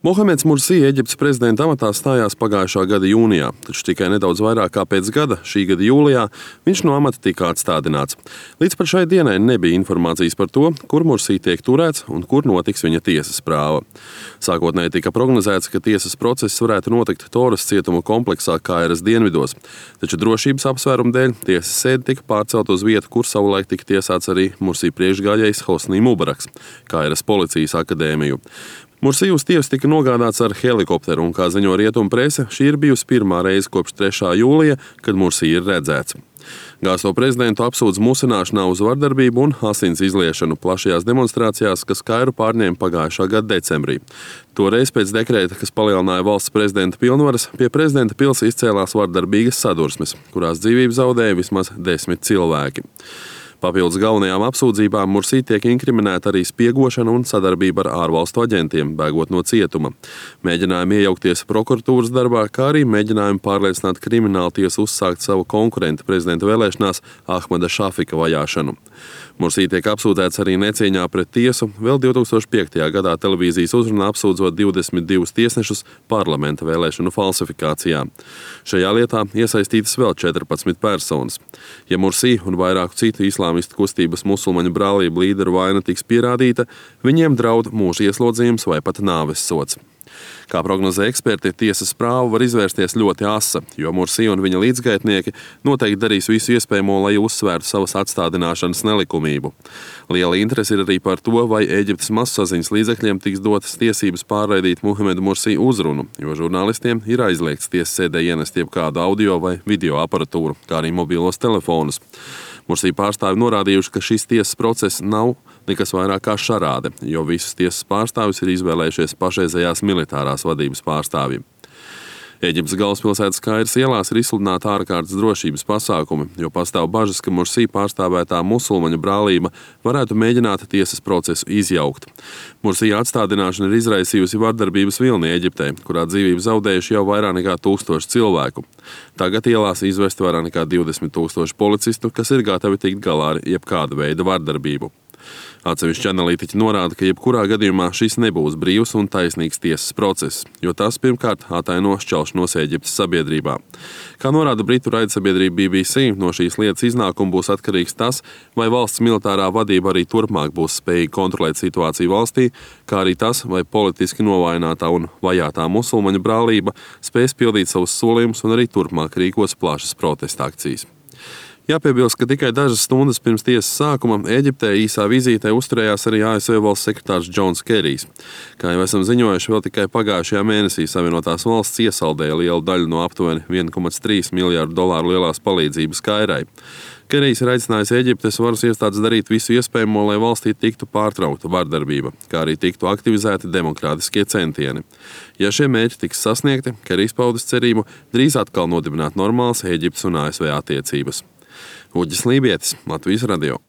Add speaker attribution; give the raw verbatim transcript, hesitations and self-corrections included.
Speaker 1: Mohameds Mursī Eģiptes prezidenta amatā stājās pagājušā gada jūnijā, taču tikai nedaudz vairāk kā pēc gada, šī gada jūlijā, viņš no amata tika atstādināts. Līdz pat šai dienai nebija informācijas par to, kur Mursī tiek turēts un kur notiks viņa tiesas prāva. Sākotnēji tika prognozēts, ka tiesas process varētu notikt Toras cietuma kompleksā Kairas dienvidos, taču drošības apsvērumu dēļ tiesas sēde tika pārcelt uz vietu, kur savulaik tika tiesāts arī Mursī priekšgājējs Hosnī Mubaraks, Kairas policijas akadēmiju. Mursī uz tiesu tika nogādāts ar helikopteru, un, kā ziņo rietumu prese, šī ir bijusi pirmā reize kopš trešā jūlija, kad Mursī ir redzēts. Gāsto prezidentu apsūdz musināšanā uz vardarbību un asins izliešanu plašajās demonstrācijās, kas Kairu pārņēma pagājušā gada decembrī. Toreiz pēc dekrēta, kas palielināja valsts prezidenta pilnvaras, pie prezidenta pils izcēlās vardarbīgas sadursmes, kurās dzīvību zaudēja vismaz desmit cilvēki. Papildus galvenajām apsūdzībām Mursī tiek inkriminēta arī spiegošana un sadarbība ar ārvalstu aģentiem, bēgot no cietuma. Mēģinājumi iejaukties prokuratūras darbā, kā arī mēģinājumi pārliecināt kriminālu tiesu uzsākt savu konkurenta prezidenta vēlēšanās Ahmada Šafika vajāšanu. Mursī tiek apsūdzēts arī necieņā pret tiesu, vēl divi tūkstoši piektajā gadā televīzijas uzrunā apsūdzot divdesmit divus tiesnešus parlamenta vēlēšanu falsifikācijā. Šajā lietā iesaistītas vēl četrpadsmit personas. Ja Mursī un vairāku citu islāmistu kustības musulmaņu brālību līderu vaina tiks pierādīta, viņiem draud mūža ieslodzījums vai pat nāves sods. Kā prognozē eksperti, tiesas prāva var izvērsties ļoti asa, jo Mursī un viņa līdzgaitnieki noteikti darīs visu iespējamo, lai uzsvērtu savas atstādināšanas nelikumību. Liela interese ir arī par to, vai Ēģiptes mazsaziņas līdzekļiem tiks dotas tiesības pārraidīt Mohamedu Mursī uzrunu, jo žurnālistiem ir aizliegts tiesas sēdē ienest jebkādu audio vai video aparatūru, kā arī mobilos telefonus. Mursī pārstāvi norādījuši, ka šis tiesas process nav nekas vairāk kā šarāde, jo visus tiesas pārstāvis ir izvēlējušies pašreizējās militārās vadības pārstāvji. Ēģiptes galvaspilsētas Kairas ielās ir izsludināti ārkārtas drošības pasākumi, jo pastāv bažas, ka Mursī pārstāvētā musulmaņu brālība varētu mēģināt tiesas procesu izjaukt. Mursī atstādināšana ir izraisījusi vardarbības vilni Ēģiptē, kurā dzīvību zaudējuši jau vairāk nekā tūkstoši cilvēku. Tagad ielās izvesti vairāk nekā divdesmit tūkstoši policistu, kas ir gatavi tikt galā ar jebkāda veida vardarbību. Atsevišķi analītiķi norāda, ka jebkurā gadījumā šis nebūs brīvs un taisnīgs tiesas process, jo tas pirmkārt ataino šķelšanos Ēģiptes sabiedrībā. Kā norāda britu raidsabiedrība B B C, no šīs lietas iznākuma būs atkarīgs tas, vai valsts militārā vadība arī turpmāk būs spējīga kontrolēt situāciju valstī, kā arī tas, vai politiski novājinātā un vajātā musulmaņu brālība spēs pildīt savus solījumus un arī turpmāk rīkos plašas protesta akcijas. Jāpiebilst, ka tikai dažas stundas pirms tiesas sākuma Ēģiptē īsā vizītē uzturējās arī A S V valsts sekretārs Džons Kerijs. Kā jau esam ziņojuši, vēl tikai pagājušajā mēnesī Savienotās valsts iesaldēja lielu daļu no aptuveni viena komats trīs miljārdu dolāru lielās palīdzības Kairai. Kerijs ir aicinājis Ēģiptes varas iestādes darīt visu iespējamo, lai valstī tiktu pārtraukta vardarbība, kā arī tiktu aktivizēti demokrātiskie centieni. Ja šie mērķi tiks sasniegti, Kerijs paudis cerību drīz atkal nodibināt normālas Ēģiptes un A S V attiecības. Uģis Lībietis, Latvijas radio.